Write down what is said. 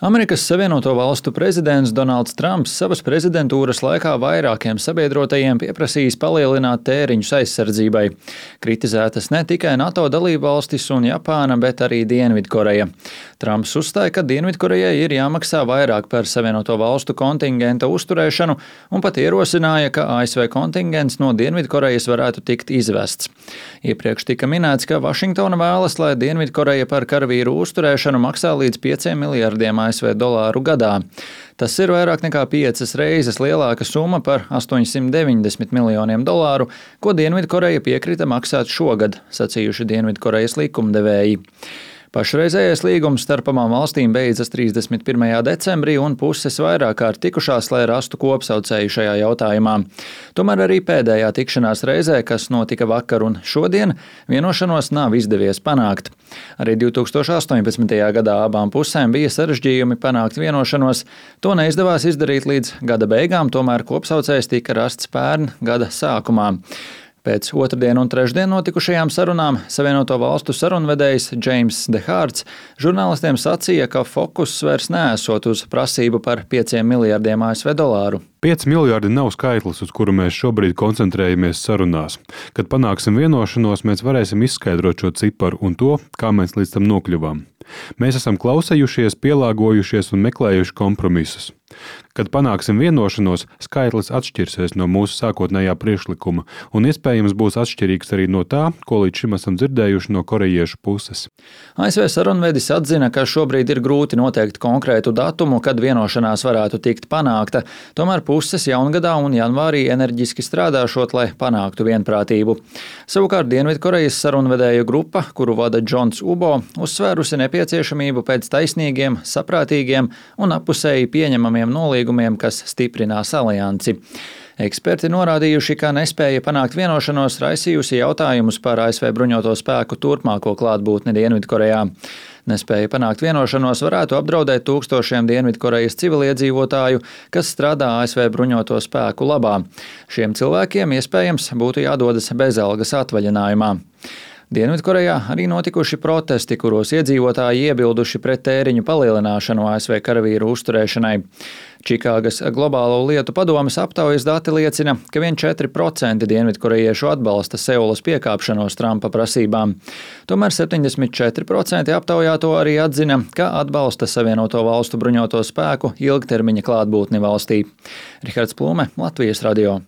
Amerikas Savienoto Valstu prezidents Donalds Trumps savas prezidentūras laikā vairākiem sabiedrotajiem pieprasījis palielināt tēriņus aizsardzībai. Kritizētas ne tikai NATO dalībvalstis un Japāna, bet arī Dienvidkoreja. Trumps uzstāja, ka Dienvidkorejai ir jāmaksā vairāk par Savienoto Valstu kontingenta uzturēšanu un pat ierosināja, ka ASV kontingents no Dienvidkorejas varētu tikt izvests. Iepriekš tika minēts, ka Vašingtona vēlas, lai Dienvidkoreja par karavīru uzturēšanu maksā līdz 5 miljardiem ASV dolāru gadā. Tas ir vairāk nekā 5 reizes lielāka summa par 890 miljoniem dolāru, ko Dienvidkoreja piekrita maksāt šogad, sacījuši Dienvidkorejas likumdevēji. Pašreizējais līgums starp abām valstīm beidzas 31. decembrī, un puses vairāk kārt tikušās, lai rastu kopsaucēju šajā jautājumā. Tomēr arī pēdējā tikšanās reizē, kas notika vakar un šodien, vienošanos nav izdevies panākt. Arī 2018. gadā abām pusēm bija sarežģījumi panākt vienošanos. To neizdevās izdarīt līdz gada beigām, tomēr kopsaucējs tika rasts pērn gada sākumā. Pēc otrdien un trešdien notikušajām sarunām Savienoto Valstu sarunvedējs James Dehārds žurnālistiem sacīja, ka fokus vairs neesot uz prasību par 5 miljardiem ASV dolāru. 5 miljardi nav skaitlis, uz kuru mēs šobrīd koncentrējamies sarunās. Kad panāksim vienošanos, mēs varēsim izskaidrot šo ciparu un to, kā mēs līdz tam nokļuvām. Mēs esam klausējušies, pielāgojušies un meklējuši kompromisus. Kad panāksim vienošanos, skaitlis atšķirsies no mūsu sākotnējā priekšlikuma un iespējams būs atšķirīgs arī no tā, ko līdz šim esam dzirdējuši no korejiešu puses. ASV sarunvedis atzina, ka šobrīd ir grūti noteikt konkrētu datumu, kad vienošanās varētu tikt panākta, tomēr puses jaungadā un janvārī enerģiski strādāšot, lai panāktu vienprātību. Savukārt Dienvidkorejas sarunvedēju grupa, kuru vada Džons Ubo, uzsvērusi nepieciešamību pēc taisnīgiem, saprātīgiem un appusēji pieņemamiem nolīgumiem, kas stiprinās aliansi. Eksperti norādījuši, ka nespēja panākt vienošanos raisījusi jautājumus par ASV bruņoto spēku turpmāko klātbūtni Dienvidkorejā. Nespēja panākt vienošanos varētu apdraudēt tūkstošiem Dienvidkorejas civiliedzīvotāju, kas strādā ASV bruņoto spēku labā. Šiem cilvēkiem iespējams būtu jādodas bezalgas atvaļinājumā. Dienvidkorejā arī notikuši protesti, kuros iedzīvotāji iebilduši pret tēriņu palielināšanu ASV karavīru uzturēšanai. Čikāgas globālo lietu padomes aptaujas dati liecina, ka vien 4% dienvidkorejiešu atbalsta Seulas piekāpšanos Trumpa prasībām. Tomēr 74% aptaujāto arī atzina, ka atbalsta Savienoto Valstu bruņoto spēku ilgtermiņa klātbūtni valstī. Rihards Plūme, Latvijas radio.